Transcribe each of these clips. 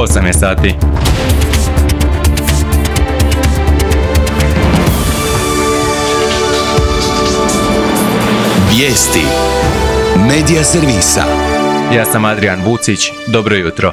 8 je sati. Vijesti Medija servisa. Ja sam Adrian Vucić, dobro jutro.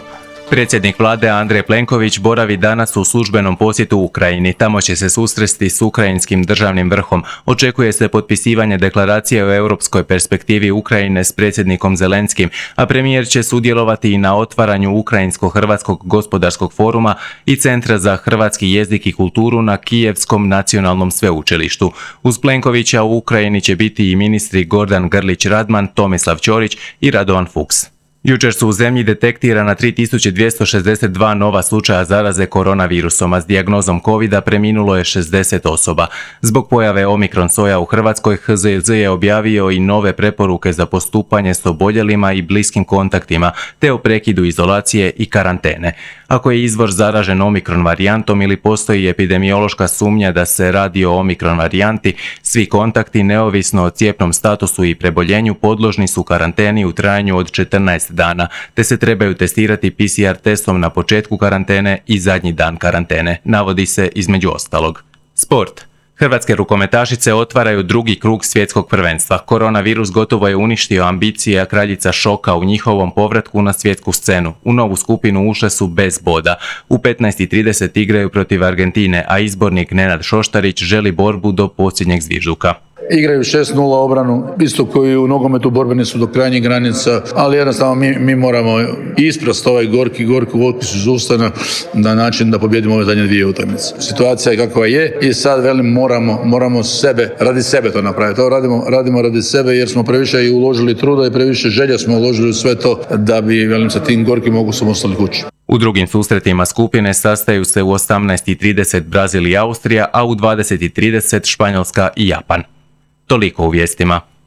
Predsjednik vlade Andrej Plenković boravi danas u službenom posjetu Ukrajini. Tamo će se susresti s ukrajinskim državnim vrhom. Očekuje se potpisivanje deklaracije o europskoj perspektivi Ukrajine s predsjednikom Zelenskim, a premijer će sudjelovati i na otvaranju Ukrajinsko-hrvatskog gospodarskog foruma i Centra za hrvatski jezik i kulturu na Kijevskom nacionalnom sveučilištu. Uz Plenkovića u Ukrajini će biti i ministri Gordan Grlić-Radman, Tomislav Ćorić i Radovan Fuchs. Jučer su u zemlji detektirana 3262 nova slučaja zaraze koronavirusom, a s dijagnozom covida preminulo je 60 osoba. Zbog pojave Omikron soja u Hrvatskoj, HZJZ je objavio i nove preporuke za postupanje s oboljelima i bliskim kontaktima, te o prekidu izolacije i karantene. Ako je izvor zaražen Omikron varijantom ili postoji epidemiološka sumnja da se radi o Omikron varijanti, svi kontakti, neovisno o cijepnom statusu i preboljenju, podložni su karanteni u trajanju od 14 dana, te se trebaju testirati PCR testom na početku karantene i zadnji dan karantene, navodi se između ostalog. Sport. Hrvatske rukometašice otvaraju drugi krug svjetskog prvenstva. Koronavirus gotovo je uništio ambicije kraljica šoka u njihovom povratku na svjetsku scenu. U novu skupinu ušle su bez boda. U 15:30 igraju protiv Argentine, a izbornik Nenad Šoštarić želi borbu do posljednjeg zvižduka. Igraju 6-0 obranu, isto koji u nogometu borbeni su do krajnjih granica, ali jednostavno mi moramo isprast ovaj gorki otpis iz ustana na način da pobjedimo ove zadnje dvije utakmice. Situacija je kakva je i sad moramo radi sebe to napraviti. To radimo radi sebe jer smo previše i uložili truda i previše želja smo uložili u sve to da bi sa tim gorkim okusom ostali kući. U drugim susretima skupine sastaju se u 18:30 Brazil i Austrija, a u 20:30 Španjolska i Japan. Toliko u vijestima.